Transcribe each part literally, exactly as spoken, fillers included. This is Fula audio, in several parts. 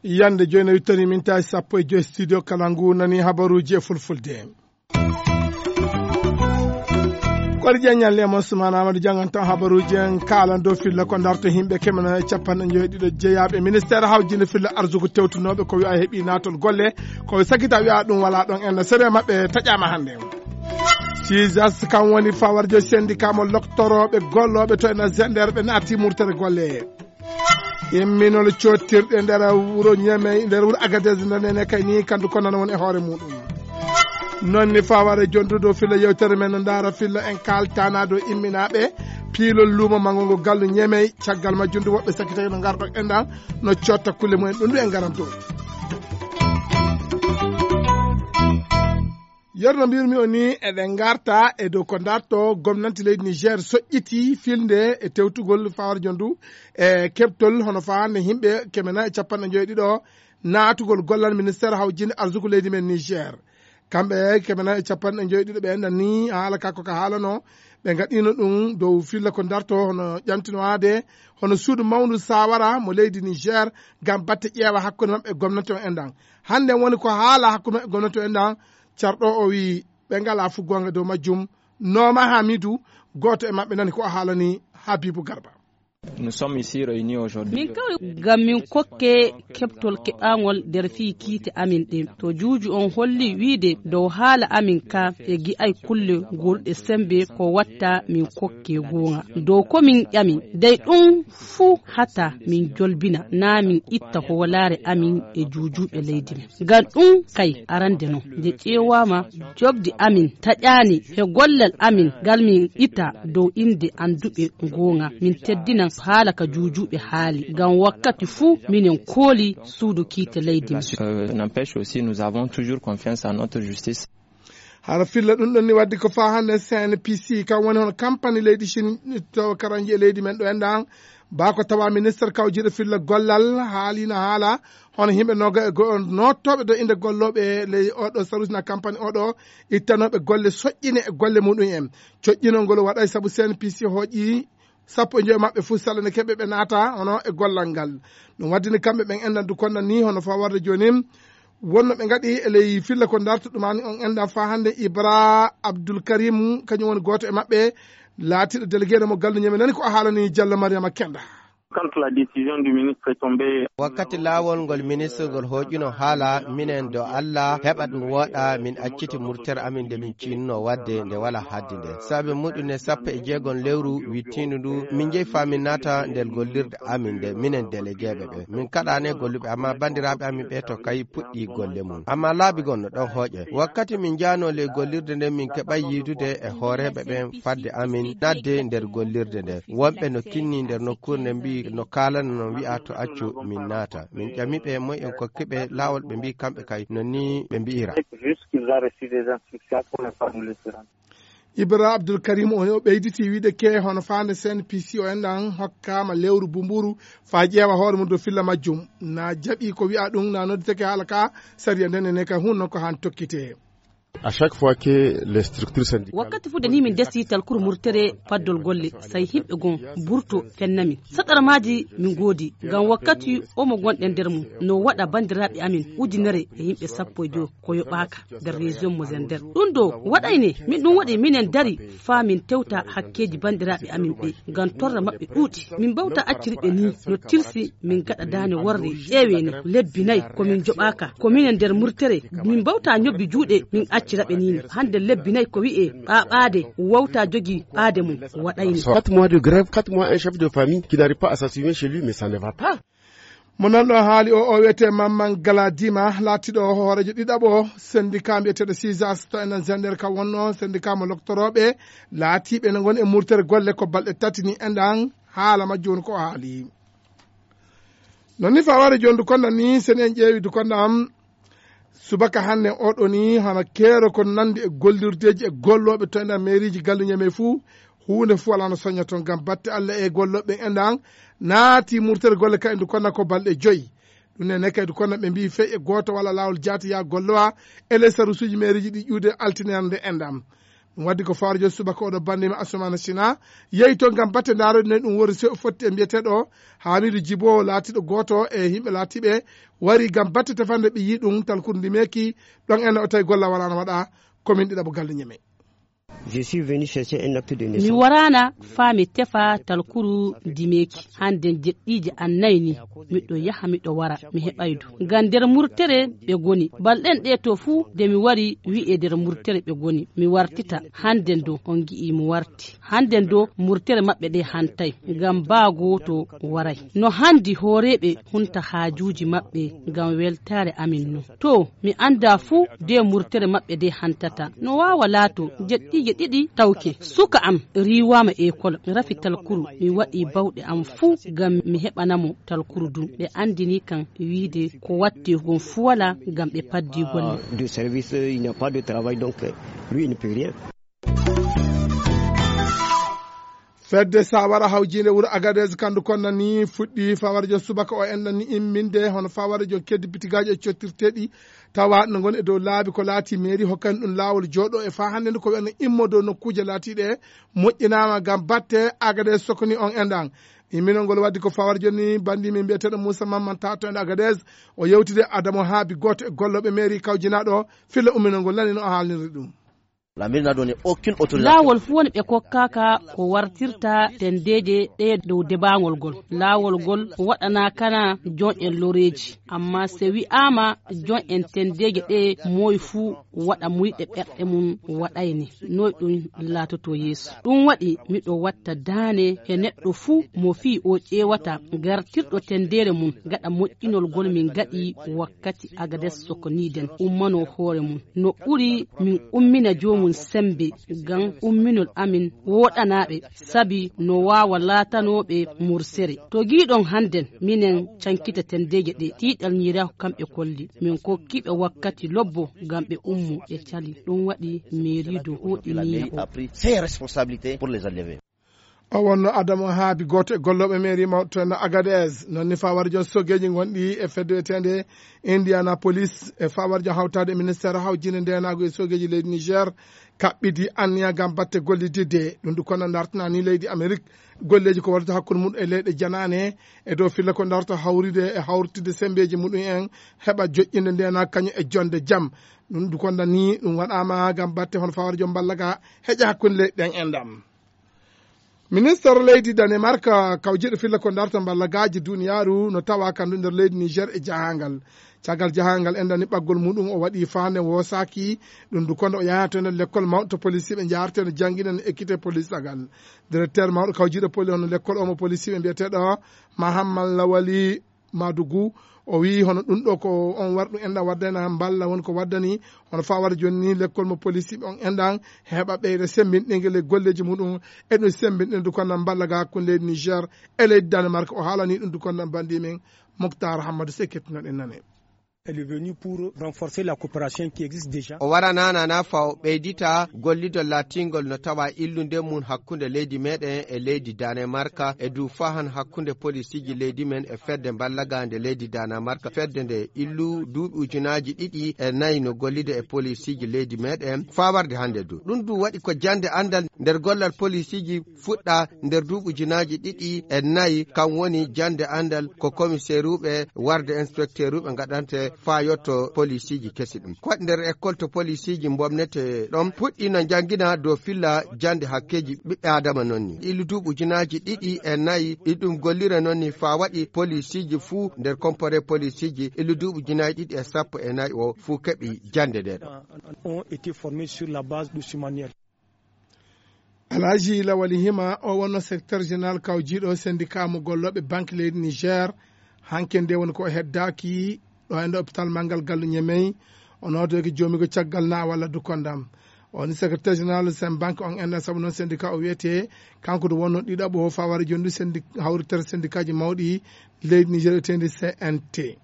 Yande jooni a wittani min tawi sappo e joy studio kala ngu nani habaruuji e fulfulde. Kori ƴeññal lemon sumana amadu jangan tan habaruuji en kaalan dow filla ko darto himɓe kemena e capanɗe joyi ɗiɗo jeyaaɓe ministére hawjinde filla arsugo tewtunooɓe ko wiya heɓi naatol golle ko sakita wiya ɗum wala ɗon en sere maɓɓe taƴama hannde. Sisas kam woni fawarjo syndicat mo loktorooɓe gollooɓe to ena genderɓe naati murtere golle. Imminol cottirɗe nder wuro ñeme nder wuro agadez ndene kay ni kandu ko nana won e hoore muɗum. Noon ni faware jondudo filla yewtere men no ndaara filla en kaltana dow imminaɓe piilol luumo manngo ngo gallu ñemey. Caggal majjum du woɓɓe sakkitaki no ngarɗo enɗan no cotta kulle mumen ɗum du en ngaran dow. Yerno mbirmi o ni eɗen ngarta e dow ko darto gomnanti leydi niger soƴƴiti filde e tewtugol fawarjo ndu e keɓtol hono fahande yimɓe kemena e capanɗe joyi ɗiɗo naatugol gollal ministére hawjinde arsuku leydi men niger. Kamɓe kemena e capanɗe joyi ɗiɗo ɓe enɗan ni haala ka ko ka haalano ɓe gaɗino ɗum dow filla ko darto hono ƴamtinoade hono suudu mawndu sawara mo leydi niger ngam batte ƴeewa hakkunde maɓɓe e gomnati o enɗan. Hannde woni ko haala hakkunde maɓɓe e gomnati o enɗan. Carɗo o wi ɓe ngala fu gonga dow majjum. Nooma hamidu gooto e maɓɓe nani ko o haalani habibu garba. Nous sommes ici réunis aujourd'hui. Min kawri ngam min kokke keɓtol keɓaangol nder fii kiite amin ɗin to juuju on holli wiide dow haala amin ka e gi'ay kulle gulɗe sembe ko watta min kokke goonga dow ko min ƴami dey ɗum fuu hata min jolbina naa min itta hoolaare amin e juujuuɓe leydi men. Ngam ɗum kay arande non nde ƴeewaama jobdi amin taƴaani he gollal amin ngal min ita dow innde annduɓe goonga min teddinan haala ka juujuuɓe haali ngam wakkati fuu minen kooli suudu kiite leydi men. N'empêche aussi nous avons toujours confiance en notre justice. Hara filla ɗum ɗon ni waddi ko faa hannde cnpc kam woni hono kampani leydi chine to karanji e leydi men ɗo enɗan baa ko tawa ministre kawjiiɗo filla gollal haalino haala hono yimɓe noga e go'o nottooɓe dow innde gollooɓe ley oɗo sarusina kampani oɗo ittanooɓe golle soƴƴine e golle muɗum en. Coƴƴinol ngol waɗay sabu cnpc hooƴi sappo e joyo maɓɓe fof salane keɓe ɓe naata hono e gollal ngal. Ɗum waddini kamɓe ɓen enɗan du konnan ni hono faa warde jooni wonno ɓe ngaɗi e ley filla ko darta ɗumani on enɗan faa hannde ibra abdoul karim kañum woni gooto e maɓɓe laatiiɗo délégué mo galluñe men nani ko a haalani diallo mariama kenda. Quand la décision du ministre est tombée. Wakkati laawol ngol ministre ngol hooƴuno haala minen do allah heɓat no wooɗa min acciti murtere amin nde min ciinuno waɗde nde wala haddi nde saabe muɗum ne sappo e jeegom lewru wittiindu ndu min njehi faa min naata nder gollirde amin nde minen déléguéɓe ɓe min kaɗaane golluɓe amma banndiraaɓe amin ɓe to kay puɗɗi golle mum amma laabi gon no ɗon hooƴe wakkati min njaano ley gollirde nde min keɓay yiidude e hooreeɓe ɓen fadde amin nadde nder gollirde nde wonɓe no kinni nder nokkuure nde mbi no kaalana no wi'a to accu min naata min ƴami ɓe moy en kokki ɓe laawol ɓe mbi kamɓe kay no ni ɓe mbi'ira. Ibra abdoul karim o o ɓeyditi wiide ke hono faande cnpc o enɗan hokkama lewru bumburu faa ƴeewa hoore mum dow filla majjum na jaɓi ko wi'a ɗum na nodditake haala ka sariya nden ene kay hun non ko han tokkite. À chaque fois que les structures syndicales wakkati fu de ni min desi talkuru murtere paddol golle say himɓe gon burto fennami saɗarmaaji min goodi ngam wakkati omo gonɗen nder mum no waɗa banndiraaɓe amin ujunere e yimɓe sappo e joyo ko yoɓaaka nder région mo zender ɗum ɗo waɗayne min ɗum waɗi minen dari faa min tewta hakkeeji banndiraaɓe amin ɓe ngam torra maɓɓe ɗuuɗi min mbawta acciri ɓe ni no tilsi min gaɗa daane worre ƴeewene lebbi nayi ko min joɓaaka ko minen nder murtere min mbawta ñobbi juuɗe min accira ɓe nini hannde lebbi nayi ko wi'e ɓaaɓaade wawta jogi ɓaade mum waɗayni. Quatre mois de grève, quatre mois un chef de famille qui n'arrive pas à s'assumer chez lui, mais ça ne va pas. Mo nanɗo haali o o wiyete mamman galadima laatiɗo hoorejo ɗiɗaɓo syndicat mbiyeteɗo sisas to enen gender ka wonno syndicat mo loktoroɓe laatiɓe ne goni e murtere golle ko balɗe tati ni enɗan haala majjum woni ko o haali. Non ni faware jondu konda ni sen en ƴeewi du konda am subaka hannde oɗo ni hana keero ko nandi e gollirdeji e gollooɓe to ena mairiji galluñe men fuu huunde fuu alaa no soña toon ngam batte allah e gollooɓe ɓen enɗan naati murtere golle ka endu konna ko balɗe joyi. Ɗum ne nekkaydu kono ɓe mbii fey e gooto walla laawol jaati yaa gollowa e les sarusuuji meeriiji ɗi ƴuude altine hannde enɗam. Ɗum waddi ko fawre jooni subaka oɗo banndima Assoumana Sina yehi to ngam batte ndaarode ne ɗum wori sew fotti e mbiyeteeɗo Hamidu Jibo laatiiɗo gooto e yimɓe laatiiɓe wari ngam batte tefande ɓe yii ɗum talkuru ndimeeki ɗon en o tawi golla walaano waɗa. Komin ɗiɗaɓo galle ñeme. Je suis venu chercher un acte de naissance. Mi waraana faa mi tefa talkuru dimeeki. Hannden jeɗɗiije an nayi ni, miɗo yaha miɗo wara, mi heɓaydu. Ngam nder murtere ɓe ngoni. Balɗen ɗee to fuu, nde mi wari, wi'e nder murtere ɓe ngoni. Mi wartita. Hannden do, on ngi'ii mi warti. Hannden do, murtere maɓɓe ɗee hantay. Ngam baa gooto waray. No handi hooreeɓe hunta haajuuji maɓɓe ngam weltaare amin nun. To, mi anndaa fuu de murtere maɓɓe de hantata. No waawa laato, jeɗɗiije ɗiɗi tawke. Suka am riiwaama ekol, rafi talkuru. Mi waɗii bawɗe am fuu ngam mi heɓana mo talkuru dun. Ɓe anndinii kan wiide ko wattee kon fuu walaa ngam ɓe paddii golle. De service, il n'y a pas de travail, donc, euh, lui, il ne peut rien. Fedde sawara hawjiinde wuro Agadez kandu konna ni fuɗɗi fawara joom subaka o enɗan ni imminde hono fawara joom keddi bitigaaji e cottirteeɗi tawa no ngoni e dow laabi ko laati meeri hokkani ɗum laawol jooɗo e faa hannde nde ko wiyano immo dow nokkuuje laatiiɗe moƴƴinaama ngam batte Agadez sokoni on enɗan. Imminol ngol waddi ko fawara jooni banndi min mbiyeteeɗo Muusa Mamman taatoyɗo Agadez o yewtide Adamo Haabi gooto e gollooɓe meeri kawjinaaɗo filla umminol ngol nani no o haalniri ɗum. La mairie n'a donné aucune autorisation. Laawol fuu woni ɓe kokkaaka ko wartirta tendeeje ɗee dow debaangol ngol. Laawol ngol waɗanaakana jon'en loreeji, amma se wi'aama jon'en tendeeje ɗee moy fuu waɗa muyɗe ɓerɗe mum waɗayne, noy ɗum laatotoo yeeso. Ɗum waɗi miɗo watta daane he neɗɗo fuu mo fii o ƴeewata gartirɗo tendeere mum gaɗa moƴƴinol ngol min ngaɗi wakkati Agades Sokoniiden ummanoo hoore mum. No ɓuri min ummina joomum semmbe ngam umminol amin wooɗanaa ɓe, sabi no waawa laatanoo ɓe mursere. To ngiiɗon hannden minen cankita tenndeeje ɗee, tiiɗal ñiiraaku kam ɓe kolli. Min kokkii ɓe wakkati lobbo ngam ɓe ummoo, ɓe calii. Ɗum waɗi meeriidu hooɗinii o. Ses responsabilités pour les enlever. O wonno Adama Haabi, gooto e gollooɓe meeri mawɗo to Agadez. Noon ni fawara joom sogeeji ngonɗi e fedde wiyeteende Indianapolis e fawara joom hawtaade e ministeer hawjinde ndeenaagu e sogeeji leydi Niger kaɓɓidi anniya ngam batte gollididde. Ɗum du kono dartana ni leydi Amerik golleeji ko waɗata hakkunde mum e leyɗe janaane e dow filla ko darta hawride e hawritide sembeeji muɗum en heɓa joƴƴinde ndeenaagu kañum e jonde jam. Ɗum du kono ni ɗum waɗaama ngam batte hono fawara joom mballaga heƴa hakkunde leyɗe ɗen e ndam. Minister leydi Danemark kawjiɗo filla ko darta mballagaaji duniyaaru no tawa kandu nder leydi Niger e jahangal. Caggal jahangal en dani ɓaggol muɗum o waɗi faande woosaaki ɗum du kono o yaha to nder lekkol mawɗo to polisiiɓe njaharteno jannginano ekkite polisagal. Directeur mawɗo kawjiɗo poli hono lekkol omo polisiiɓe mbiyeteeɗo Mahamman Lawali Madugu, o wiyi hono ɗum ɗo ko on warɗu enɗa waddana mballa woni ko waddani hono fawara joni ni lekkol mo polisiiɓe on enɗan heɓa ɓeyda sembinɗingel e golleeji muɗum e ɗum sembinɗina dukannam mballa ga hakkunde leydi Niger e leydi Danemark. O haalani ɗum dukannam banndi men Moktar Hammadou Sey kettinoɗen nane. Elle est venue pour renforcer la coopération qui existe déjà. O warananana fa o ɓeydita gollidol laatingol no tawa illude mum hakkunde leydi meɗen e leydi Danemark e du fahan hakkunde polisiji leydi men e fedde mballagande leydi Danemark. Fedde nde illu duuɓi ujunaji ɗiɗi e nayi no gollida e polisiji leydi meɗen fa warde hande du. Ɗum du waɗi ko jande andal nder gollal polisiji fuɗɗa nder duuɓi ujunaji ɗiɗi e nayi, kam woni jande andal ko komiseruɓe warde inspecteuruɓe gaɗante fa yotto polisiji kesi ɗum. Ko waɗi nder école to polisiji bomnete ɗon puɗɗino jangina dow filla jande hakkeji ɓiɓɓe adama non ni. Illu duuɓi ujunaji ɗiɗi e nayi ɗi ɗum gollira non ni fa waɗi polisiji fuu nder compore polisiji illu duuɓi ujunaji ɗiɗi e sappo e nayi o fuu keɓi jande nde ɗo. Ont été formés sur la base de ce manuel. Alhaji Lawali Hima o wonno secrétaire général kawjiɗo syndicat mo gollooɓe banque leydi Niger. Hanke nde woni ko o heddaaki ɗo e nder hôpital manngal gallu Ñemey. O nodoyke joomigo caggal na walla dukkondam. O woni secrétaire général sen banque on enɗan sabu noon syndicat o wiyete kanko du wonno ɗiɗaɓo o fawara joni du syndic hawritere syndicat ji mawɗi leydi Niger etendi C N T.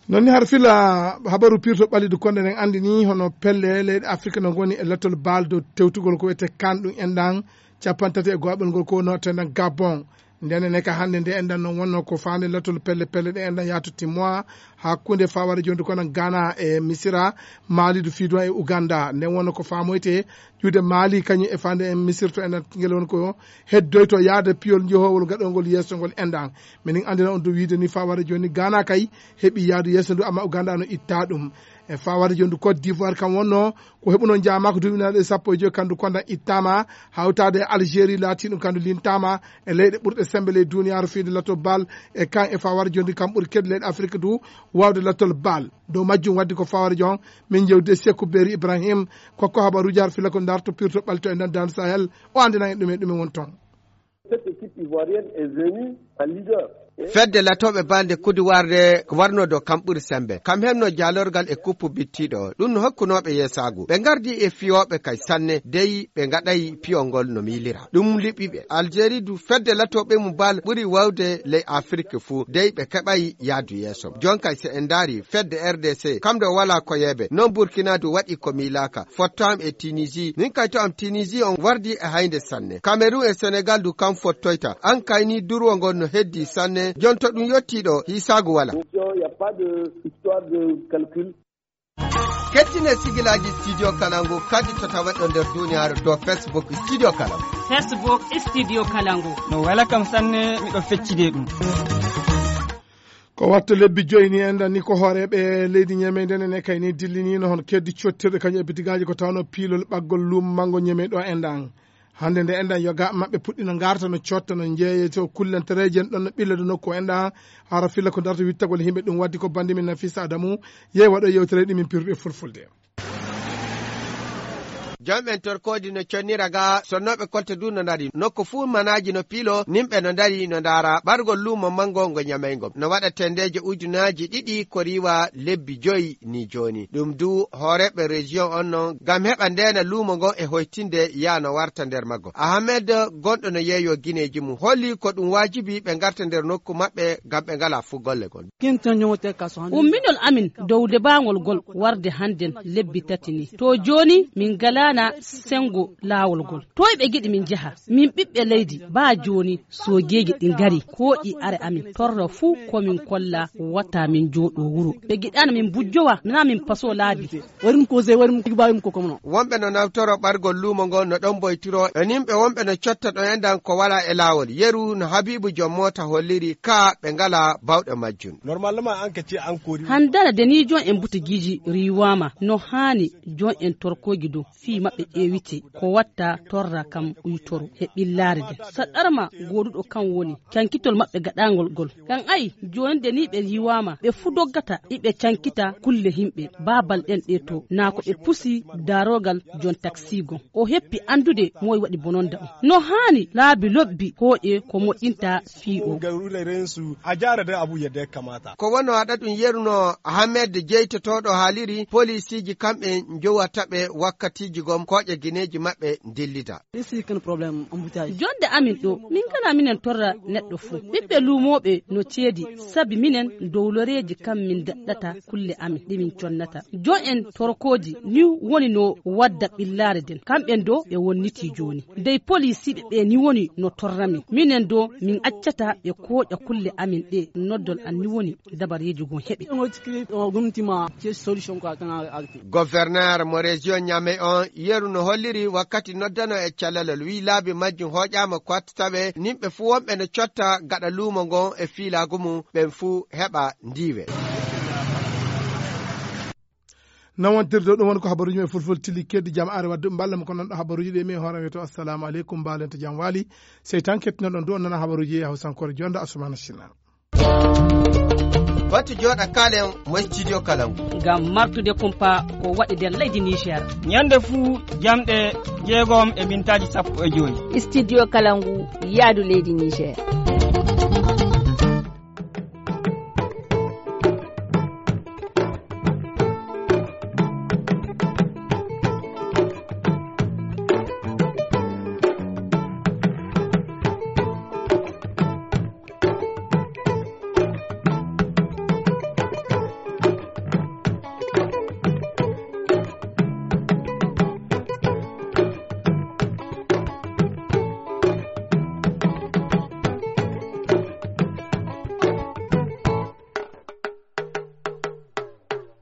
Noon ni har fila habaru pirto ɓalidu konde nden anndi ni hono pelle leyɗe Afrique no ngoni e lettol baal dow tewtugol ko wiyete kan ɗum enɗan capanɗe tati e goɓel ngol ko wonno tendan Gabon. Ndene ne ka hannde nde enɗan noon wonno ko faande lattol pelle pelle ɗe enɗan yaato timmoa hakkunde faware jondi kono Ghana e Misira, Mali du fiiduma e Uganda. Nden wonno ko faamoyte ƴuude Mali kañum e faande en Misir to enɗan ngel won ko heddoyto yaade piyol njohowol gaɗongol yeeso ngol enɗan. Minin anndina on du wiide ni faware joni Ghana kay heɓi yaadu yeeso ndu amma Uganda no itta ɗum. E fawade jondu Côte d'Ivoire kam wonno ko heɓuno jaamaka duuɓi naɗe sappo e joyi kandu kondan ittama, hawtade e Algérie laati ɗum kandu lintama e leyɗe ɓurɗe sembe ley duniyaaru fiyde lattol bal. E kan e fawade jondu kam ɓuri kedi leyɗe Afrique du wawde lattol bal. Dow majjum waddi ko fawade jon min jewdi e Sekou Beri Ibrahim kokko habaruji har fila ko darto pirto ɓalto e nder dan Sahel. O andinan en ɗume ɗume won toon. Cette équipe ivoirienne est venue en leader. Fedde latooɓe balde kudiwarde warno do kam ɓuri sembe kam hebno jalorgal e kuppu bittiɗo o ɗum no hokkunooɓe yeesaagu ɓe ngardi e fiyooɓe kay sanne dey ɓe ngaɗay piyol ngol no miilira ɗum liɓiɓe Algérie du fedde latooɓe mum bal ɓuri wawde ley Afrique fuu dey ɓe keɓay yaadu yeeso jonkay se en ndaari fedde R D C kam do wala ko yeebe non Burkina du waɗi ko miilaaka fottam e Tunisie min kay to am Tunisie on wardi e haynde sanne Cameroun e Senegal du kam fottoyta an kay ni durwo ngon no heddi sanne jonto ɗum yottiɗo hisaagu wala. Kettine sigilaji studio kalangu kadi to tawaɗo nder duniyaaru to Facebook studio kalangu. Facebook studio kalangu. No wela kam sanne miɗo feccide ɗum. Ko watto lebbi joyi ni enɗan ni ko hooreɓe leydi ñemeydene ne kay ni dillinino hon keddi cottirɗe kañum e bitigaaji ko tawno piilol ɓaggol luumo manngo ñemey ɗo enɗan. Hannde nde enɗan yoga maɓɓe puɗɗino ngarta no cotta no jeeye to kullantereeji en ɗon no ɓillode nokku enɗan hara filla ko darta wittagol himɓe ɗum waddi ko bandi min Nafisa Adamu yehi waɗo yewtere ɗi min pirɗe fulfulde. Jom en torkodi no connira ga sonnooɓe kolte du no ndari nokku fuu manaaji no piilo nimɓe no ndari no ndaara ɓargol luumo manngo ngo ñamayngom no waɗa tendeeje ujunaaji ɗiɗi ko riiwa lebbi joyi ni jooni ɗum du hooreeɓe région on non ngam heɓa ndeena luumo ngon e hoytinde yaa no warta nder maggo ahamed gonɗo no yeeyo gineeji mum holli ko ɗum waajibi ɓe ngarta nder nokku maɓɓe ngam ɓe ngalaa fuu golle gon. Umminol amin dow debaangol gol warde hannden lebbi tati ni to jooni min ngalaana senngo laawol ngol toy ɓe ngiɗi min njaha min ɓiɓɓe leydi baa jooni soojeeji ɗi ngari kooƴi are amin torra fuu ko min kolla wata min njooɗo wuro ɓe ngiɗaana min mbujjowa nana min paso laabi. Waɗi ɗum ko sey waɗi ɗum tigi mbaawi ɗum ko komono. Wonɓe no nawtoro ɓargol luumo ngoo no ɗon mboytiro e nimɓe wonɓe no cotta ɗo enɗan ko walaa e laawol yeru no habiibu joom moota holliri ka ɓe ngalaa bawɗe majjum. Normalement an ka ce an kori. Handana deniijon en butigiiji riiwaama no haani jon en torkooji dow fii maɓɓe ƴeewite ko watta torra kam uytoro he ɓillaare nden saɗɗarma gooduɗo kan woni cankitol maɓɓe gaɗaangol ngol kan ay jooni de ni ɓe yiwaama ɓe fuu doggata iɓe cankita kulle himɓe baabal ɗen ɗe to naa ko ɓe pusi daarogal jon taxi gon o heppi anndude moy waɗi bononda on no haani laabi lobbi hooƴe ko moƴƴinta fii o. A jaara de abu yedde kamata. Ko wono aɗa ɗum yeruno ahamed jeytotooɗo haaliri polisiiji kamɓe njowata ɓe wakkatiiji gom kooƴe gineeji maɓɓe ndillida. Jonde amin ɗo min ngala minen torra neɗɗo fuu ɓiɓɓe luumooɓe no ceedi sabi minen dowloreeji kam min daɗɗata kulle amin ɗe min connata jo en torkooji ni woni no wadda ɓillaare nden kamɓen do ɓe wonniti jooni dey polisiiɓe ɓe ni woni no torra min minen do min accata ɓe kooƴa kulle amin ɗe noddol an ni woni dabareeji gon heɓe. Gouverneur mo région Niamey on yeru no holliri wakkati noddano e calalol wi laabi majjum hooƴaama ko watta tawe nimɓe fuu wonɓe no cotta gaɗa luumo ngon e fiilaagu mum ɓen fuu heɓa ndiiwe. Nawontirde ɗum woni ko habaruuji men fulfulde tilli keddi jam are wadde mballa mo ko nanɗo habaruuji ɗe mi e hoore wiyeto assalamu aleykum mbaalente jam waali sey tan kettinoɗon du on nana habaruuji e hawsankore jonde asumana sina. Batu jooɗa kaalen mo studio kalangu. Ngam martude kumpa ko waɗi nder leydi Niger. Ñande fuu jamɗe jeegom e mintaaji sappo e joyi. Studio kalangu yaadu leydi Niger.